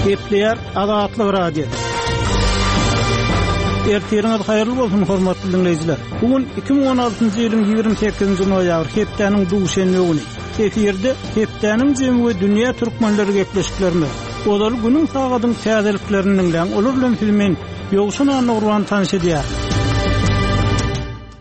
Gepleýär Azatlyk Radiosy. Ertiriňiz haýyrly bolsun, hormatly diňleýjiler. Bu gün 2016-njy ýylyň 28-nji noýabr, hepdäniň duşenbe güni. Efirde hepdäniň jemi we dünýä türkmenleri gepleşiklerimiz. Ozaly günüň sagadyň täzeliklerini diňläň, olar bilen sizi men, Ýowşan Annagurban tanyş edýärin.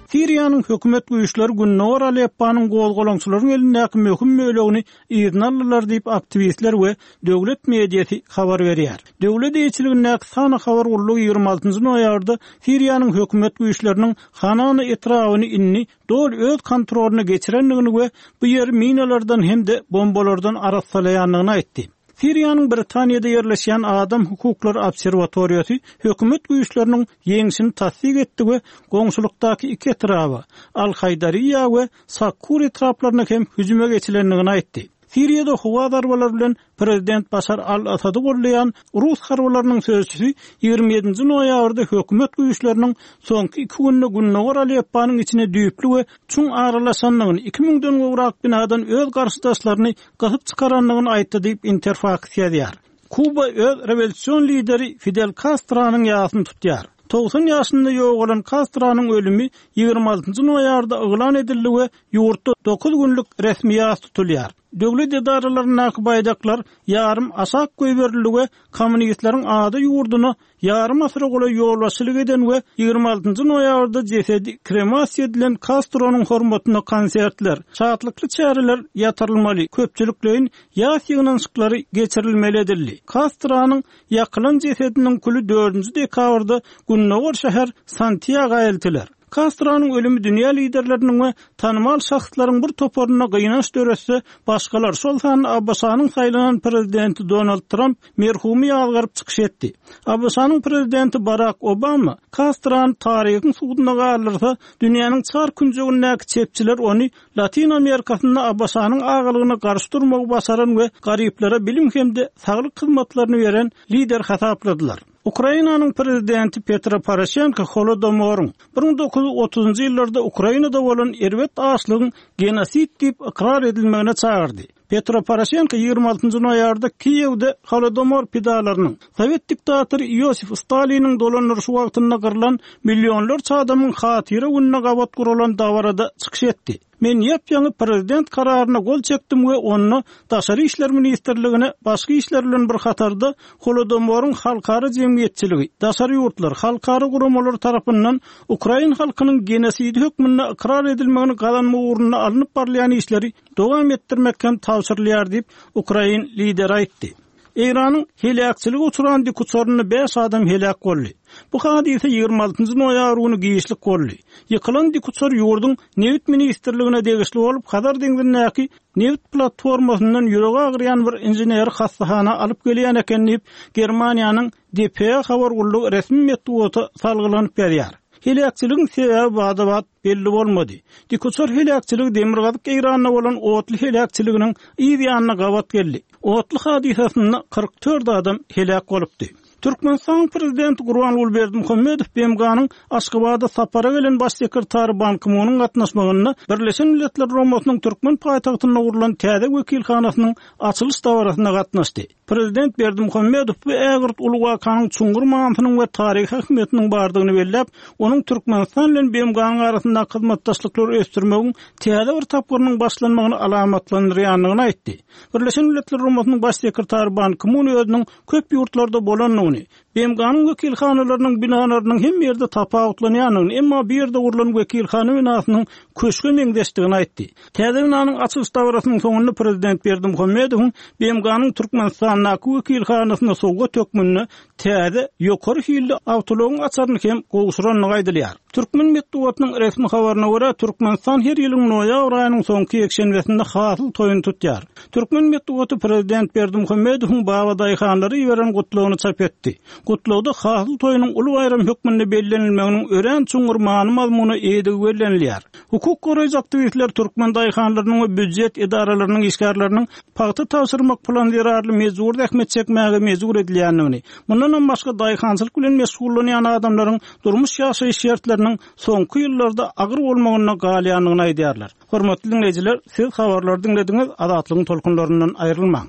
Siriýanyň hökümet güýçleri Gündogar Aleppanyň gozgalaňçylaryň elindäki möhüm bölegini yzyna aldylar diýip, aktiwistler we döwlet mediasy habar berýär. Döwlet eýeçiligindäki Sana habar gullugy 26 noýabrda Siriýanyň hökümet güýçleriniň Hanana etrabyny indi doly öz kontrolyna geçirendigini we bu ýeri minalardan hem-de bombalardan arassalaýandygyny aýtdy. Siriýanyň Britaniýada ýerleşýän Adam hukuklary obserwatoriýasy hökümet güýçleriniň ýeňşini tassyk etdi we goňşulykdaky iki etraba, Al-Haýdariýa we Sakkur etraplaryna hem hüjüme geçilendigini aýtdy. Siriýada howa zarbalary bilen prezident Başar al-Assady goldaýan rus harbylarynyň sözçüsi 27-nji noýabrda hökümet güýçleriniň soňky iki günde gündogar Alepponyň içine düýpli we çuň aralaşandygyny, iki müňden gowrak binadan öz garşydaşlaryny gysyp çykarandygyny aýtdy diýip, Interfaks ýazýar. Kuba öz rewolýusion lideri Fidel Kastronyň ýasyny tutýar. 90 ýaşynda ýogalan Kastronyň ölümi 26-njy noýabrda yglan edildi we ýurtda dokuz günlük resmi ýas tutulýar. Döwlet edaralaryndaky baýdaklar ýarym aşak goýberildi we kommunistleriň ada ýurduna Ýarym asyra golaý ýolbaşçylyk eden we 26 noýabrda jesedi kremasiýa edilen Kastronyň hormatyna konsertler, şatlykly çäreler ýatyrylmaly, köpçülikleýin ýas ýygnanyşyklary geçirilmeli edildi. Kastronyň ýakylan jesediniň küli dördünji dekabrda gündogar şäher Santýaga eltiler. Kastronyň ölümi dünýä liderleriniň we tanymal şahslaryň bir toparynda gynanç döretse, başgalar, şol sanda ABŞ-nyň saýlanan prezidenti Donald Tramp merhumy ýazgaryp çykyş etdi. ABŞ-nyň prezidenti Barak Obama Kastrony taryhyň suduna galdyrsa, dünýäniň çar künjegindäki çepçiler ony Latyn Amerikasynda ABŞ-nyň agalygyna garşy durmagy başaran we garyplara bilim hem-de saglyk hyzmatlaryny beren lider hasapladylar. Ukrainanyň prezidenti Petro Poroşenko Holodomoryň, 1930-njy ýyllarda Ukrainada bolan erbet açlygyň genosid diýip ykrar edilmegine çagyrdy. Petro Poroşenko 26 noýabrda Kiýewde Holodomor pidalarynyň, sowet diktatory Iosif Staliniň dolandyryşy wagtynda gyrlan millionlarça adamyň hatyra gününe gabat guralan dabarada çykyş etdi. Men ýap-ýaňy prezident kararyna gol çekdim we onda Daşary işler ministrligine başga işler bilen bir hatarda Holodomoryň halkara jemgyýetçiligi, daşary ýurtlar, halkara guramalary tarapyndan ukrain halkynyň genosidi hökmünde ykrar edilmegini gazanmak ugrunda alnyp barylýan işleri dowam etdirmek hem tabşyrylýar diýip, ukrain lideri aýtdy. Eýranyň heläkçilige uçran dikuçarynda bäş adam heläk boldy. Bu hadysa 26 noýabr güni giçlik boldy. Ýykylan dikuçar ýurduň Nebit ministrligine degişli bolup, Hazar deňzindäki nebit platformasyndan ýüregi agyrýan bir inženeri hassahana alyp gelýän eken diýip, Germaniýanyň dpa habar gullugy resmi metbugata salgylanyp ýazýar. Heläkçiligiň sebäbi bada-bat belli bolmady. Dikuçar heläkçiligi demirgazyk Eýranda bolan otly heläkçiliginiň yz ýanyna gabat geldi. Otly hadysasynda 44 adam heläk bolupdy. Türkmenistanyň Prezidenti Gurbanguly Berdimuhamedow BMG-niň Aşgabada sapara gelen Baş sekretary Ban Ki-munyň gatnaşmagynda Birleşen Milletler Guramasynyň türkmen paýtagtynda gurlan täze wekilhanasynyň açylyş dabarasyna gatnaşdy. Prezident Berdimuhamedow bu ägirt uly wakanyň çuňňur manysynyň we taryhy ähmiýetiniň bardygyny belläp, onuň Türkmenistan bilen BMG-niň arasyndaky hyzmatdaşlyklary ösdürmegiň täze bir tapgyrynyň başlanmagyny alamatlandyrýandygyny aýtdy. Birleşen Milletler Guramasynyň Baş sekretary Ban Ki-mun özüniň köp ýurtlarda bolandygyny, BMG-niň wekilhanalarynyň binalarynyň hemme ýerde tapawutlanýandygyny, emma bu ýerde gurlan wekilhana binasynyň köşge meňzeşdigini aýtdy. Täze binanyň açylyş dabarasynyň soňunda prezident Berdimuhamedowyň BMG-niň Türkmenistandaky wekilhanasyna sowgat hökmünde täze, ýokary hilli awtoulagyň açaryny hem gowşurandygy aýdylýar. Türkmen metbugatynyň resmi habaryna görä, Türkmenistan her ýylyň noýabr aýynyň soňky ýekşenbesinde Hasyl toýuny tutýar. Türkmen metbugaty prezident Berdimuhamedowyň babadaýhanlara iberen gutlagyny çap etdi. Gutlagda Hasyl toýunyň uly baýram hökmünde bellenilmeginiň örän çuňňur many-mazmuna eýedigi bellenilýär. Hukuk goraýjy aktiwistler türkmen daýhanlarynyň we býujet edaralarynyň işgärleriniň pagta tabşyrmak plany zerarly mejbury zähmet çekmäge mejbur edilýändigini, mundanam başga daýhançylyk bilen meşgullanýan adamlaryň durmuş-ýaşaýyş şertleriniň soňky ýyllarda agyr bolmagynda galýandygyny aýdýarlar. Hormatly diňleýjiler, siz habarlary diňlediňiz, Azatlygyň tolkunlaryndan aýrylmaň!